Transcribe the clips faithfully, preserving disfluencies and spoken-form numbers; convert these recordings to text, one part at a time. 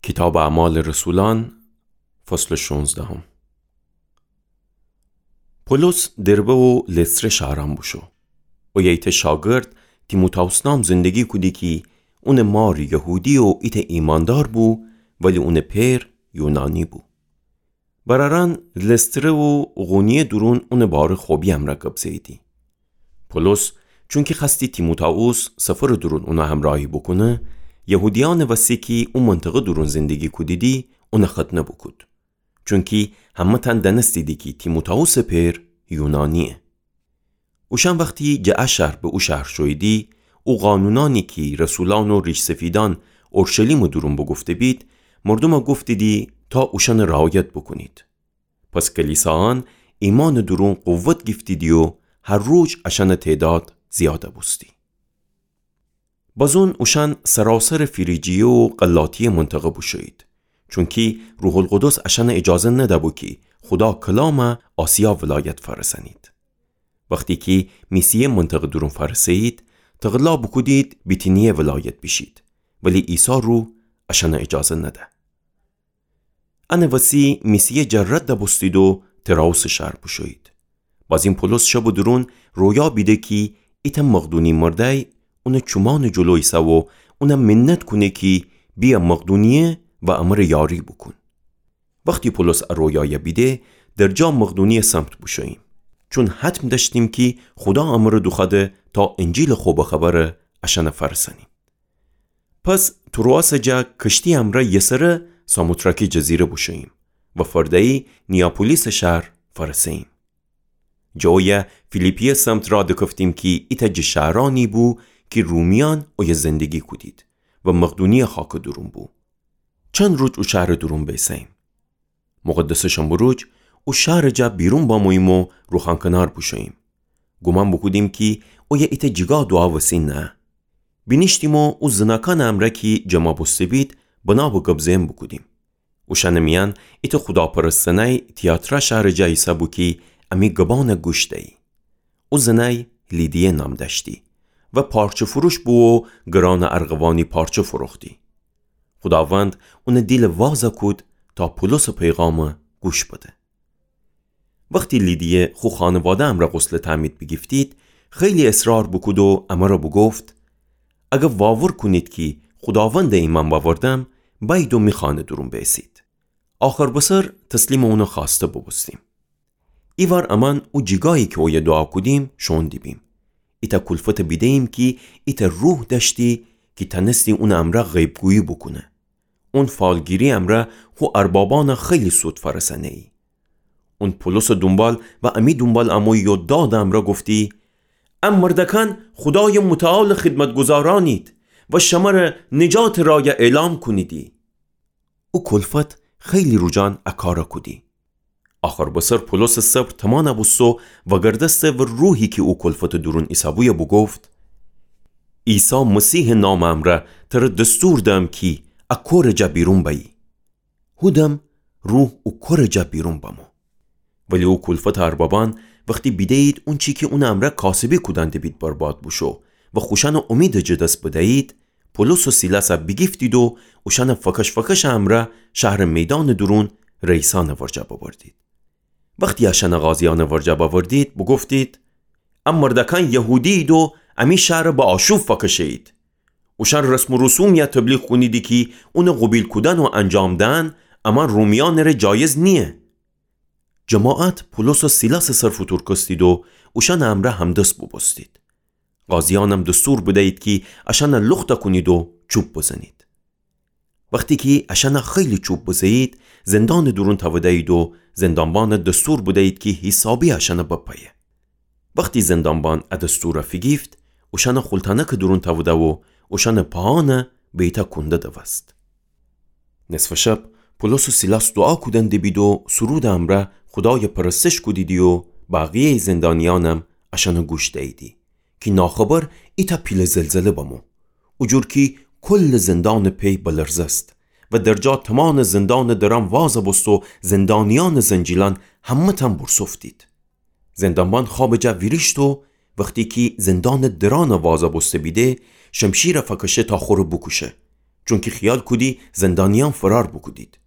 کیتابٚ اعمالٚ رسولأن، فصلٚ شونزدهم. پولس دربه و لستره شهرأن بوشو. اویه ایتأ شاگرد تیموتائوس نام زندگی کودی کی اونٚ مار یهودی و ایتأ ایماندار بو، ولی اونٚ پئر یونانی بو. برأرأن لستره و اقونیه دورون اونٚ باره خوبی امرأ گب زه‌ییدی. پولس چونکی خوأستی تیموتائوس سفرٚ دورون اونٚ همرأهی بوکونه، یهودیأنٚ وسی کی او منطقه دورون زندگی کودیدی، اونٚ ختنه بوکود. چونکی همه‌تأن دأنستیدی کی تیموتائوسٚ پئر یونانییه. اوشأن وختی جٚه ا شهر به او شهر شوییدی، او قانونأنی کی رسولأن و ریش‌سفیدأن اورشلیمٚ دورون بوگفته‌بید، مردومأ گفتیدی تا اوشأنٚ رعایت بوکونید. پس کلیسایأن ایمأنٚ دورون قوت گیفتیدی و هر روز اشأنٚ تعداد زیاد بوستی. بازون اوشأن سراسرٚ فریجیه و غلاطیه منطقه بوشویید، چونکی روح‌القدس اشأنٚ اجازه نده‌بو کی خودا کلامأ آسیا ولایت فأرسأنید. وختی کی میسیه منطقه دورون فأرسه‌یید، تقلا بوکودید بیتینیه ولایت بیشید، ولی عیسی روح اشأنٚ اجازه نده. انٚ وسی میسیه جٚه رد بوستید و ترائوسٚ شهر بوشویید. بازین پولس شبٚ دورون رویا بیده کی ایتأ مقدونی مردأی اونٚ چومأنٚ جلو ایسه و اونأ منت کونه کی بیه مقدونیه و امر یاری بوکون. وختی پولس ا رویایأ بیده، درجا مقدونیه سمت بوشوییم، چون حتم دأشتیم کی خودا امر دوخوأده تا انجیلٚ خوبٚ خبر اشأنٚ فأرسأنیم. پس تروآسٚ جا کشتی امرأ یسره ساموتراکی جزیره بوشوییم و فرده‌یی نیاپولیسٚ شهر فأرسه‌ییم. جٚه اویه فیلیپیه سمت راه دکفتیم کی ایتأ جٚه شهرأنی بو کی رومیأن اویه زندگی کودید و مقدونیه خاکٚ دورون بو. چند روج او شهرٚ دورون بیسه‌ییم. مقدسٚ شنبه روج او شهرٚ جا بیرون بموییم و روخانکنار بوشوییم. گومان بوکودیم کی اویه ایتأ جیگا دوعا وسی نه. بینیشتیم و او زناکأنٚ امرأ کی جمع بوسته‌بید بنا به گب زئن بوکودیم. اوشأنٚ میأن ایتأ خوداپرست زنأی تیاترا شهرٚ جا ایسه بو کی امی گبأنأ گوش دیی. او زنأی لیدیه نام دأشتی و پارچه فروش بو و گرانٚ ارغوانی پارچه فروختی. خوداوند اونٚ دیلٚ وازأ کود تا پولسٚ پیغامٚ گوش بده. وختی لیدیه خو خانواده امرأ غسلٚ تعمید بیگیفتید، خیلی اصرار بوکود و امرأ بوگفت: اگر واور کونید کی خوداوندٚ ایمأن بأوردم، بأیید و می خانه دورون بیسید. آخر بسر تسلیمٚ اونٚ خوأسته بوبوستیم. ایوار امأن او جیگایی کی اویه دوعا کودیم شوئون دیبیم. ایتأ کولفتٚ بیده‌ییم کی ایتأ روح دأشتی کی تأنستی اونٚ امرأ غیب‌گویی بوکونه. اون فالگیری امرأ خو اربابأنأ خیلی سود فأرسأنه‌یی. اون پولسٚ دونبال و امی دونبال امویی و دادٚ امرأ گفتی: ا مردأکأن خودایٚ متعالٚ خدمتگذارأنید و شمره نجاتٚ رأیأ اعلام کونیدی. او کولفت خیلی روجأن ا کارأ کودی. آخر بسر پولسٚ صبر تومانأ بوستو وأگردسته و روحی کی او کولفتٚ دورون ایسه‌بویه بوگفت: عیسی مسیحٚ نامٚ امرأ تره دستور دهم کی ا کورٚ جا بیرون بأیی. هودم روح او کورٚ جا بیرون بمو. ولی او کولفتٚ اربابأن وختی بیده‌یید اونچی کی اونٚ امرأ کاسبی کودن دیبید برباد بوشو و خوشأنٚ اومیدٚ جٚه دس بده‌یید، پولس و سیلاسأ بیگیفتید و اوشأنٚ فکش‌فکشٚ امرأ شهرٚ میدانٚ دورون رئیسأنٚ ورجه ببردید. وختی اشأنٚ قاضیأنٚ ورجه بأوردید، بوگفتید: ا مردأکأن یهودی‌یید و امی شهرأ به آشوب فکشه‌یید. اوشأن رسم و رسومیأ تبلیغ کونیدی کی اونٚ قوبیل کودن و انجام دهن امأن رومیأنٚره جایز نییه. جماعت پولس و سیلاسٚ سر فوتورکستید و اوشأنٚ امرأ همدس بوبوستید. قاضیأنم دستور بدیید کی اشأنأ لختأ کونید و چوب بزنید. وختی کی اشأنأ خیلی چوب بزه‌یید، زندانٚ دورون تأوده‌یید و زندانبانأ دستور بدیید کی حیسابی اشأنأ بپأیه. وختی زندانبان ا دستورأ فیگیفت، اوشأنأ خولتأنکٚ دورون تأوده و اوشأنٚ پاهأنأ به ایتأ کونده دوست. نصفٚ شب پولس و سیلاس دوعا کودن دیبید و سرودٚ امرأ خودایأ پرستش کودیدی و بقیه‌یٚ زندانیأنم اشأنأ گوش دییدی کی ناخبر ایتأ پیله زلزله بمو، او جور کی کلٚ زندانٚ پی بلرزست و درجا تومانٚ زندانٚ درأن وازأ بوست و زندانیأنٚ زنجیلأن همه‌تأن بورسوفتید. زندانبان خوابٚ جا ویریشت و وختی کی زندانٚ درأنأ وازأ بوسته بیده، شمشیرأ فکشه تا خوره بوکوشه. چونکی خیال کودی زندانیأن فرار بوکودید.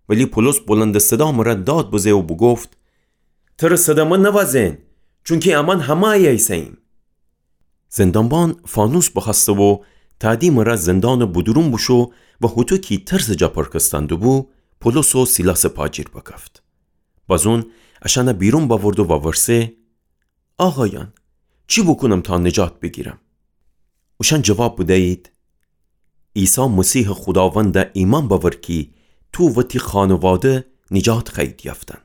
ولی پولس بلندٚ صدا مره داد بزه و بوگفت: تره صدمه نوازئن، چونکی امأن همه ایه ایسه‌ییم. زندانبان فانوس بخوأسته و تأدی مره زندانٚ بودورون بوشو و هوطو کی ترسٚ جا پرکستأن دوبو، پولس و سیلاسٚ پا جیر بکفت. بازون اشأنه بیرون بأورد و وورسه: آقایأن، چی بوکونم تا نجات بیگیرم؟ اوشأن جواب بدیید: عیسی مسیحٚ خوداوندَ ایمأن بأور کی تو و تی خانواده نجات خوأیید یأفتن.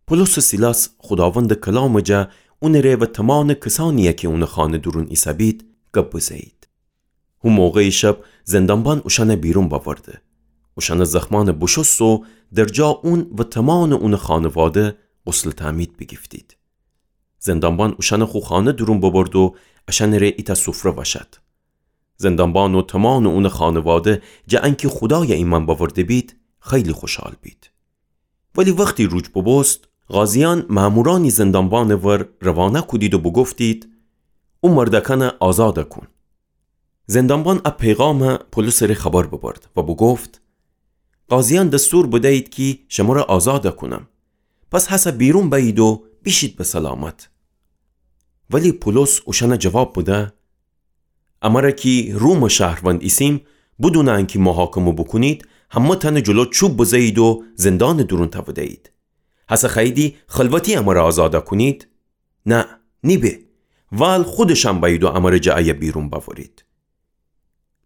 پولس و سیلاس خوداوندٚ کلامٚ جا اونٚ ره و تومانٚ کسأنیی کی اونٚ خانه دورون ایسه‌بید گب بزه‌یید. هو موقعٚ شب زندانبان اوشأنه بیرون بأورده. اوشأنٚ زخمأنه بوشوست و در جا اون و تومانٚ اونٚ خانواده غسلٚ تعمید بیگیفتید. زندانبان اوشأنه خو خانه دورون ببرد و اشأنٚ ره ایتأ سفره وأشأد. زندانبان و تومانٚ اونٚ خانواده جٚه انکی خودای ایمأن بأورده بید، خیلی خوشحال بید. ولی وختی روج بوبوست، قاضیأن مأمورأنی زندانبانٚ ور روانه کودید و بوگفتید: او مردأکأنه آزاد کون. زندانبان ا پیغام پولسٚ ره خبر ببرد و بوگفت: قاضیأن دستور بدیید کی شمره آزاد کونم. پس هسه بیرون بأیید و بیشید به سلامت. ولی پولس اوشأنه جواب بده: امره کی رومٚ شهروند ایسیم، بدونٚ انکی محاکمه بوکونید، همه‌تأنه جلو چوب بزه‌یید و زندانٚ دورون تأوده‌یید. هسه خوأییدی خلوتی امره آزاد کونید؟ نه، نیبه. وال خودشأن بأیید و امره جٚه ایه بیرون بأورید.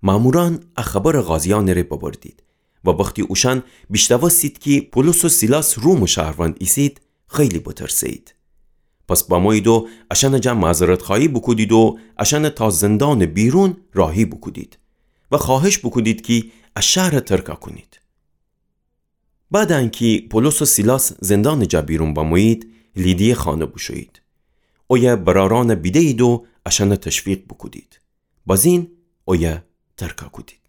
مأمورأن ا خبر قاضیأنٚ ره ببردید و وختی اوشأن بیشنوستید کی پولس و سیلاس رومٚ شهروند ایسید، خیلی بترسه‌یید. پس بمویید و اشأنٚ جا معذرتخوأیی بوکودید و اشأنه تا زندانٚ بیرون راهی بوکودید و خوأهش بوکودید کی ا شهره ترک کونید. بعدٚ انکی پولس و سیلاس زندانٚ جا بیرون بمویید، لیدیه خانه بوشویید. اویه برأرأنه بیده‌یید و اشأنه تشویق بوکودید. بازین اویه ترک کودید.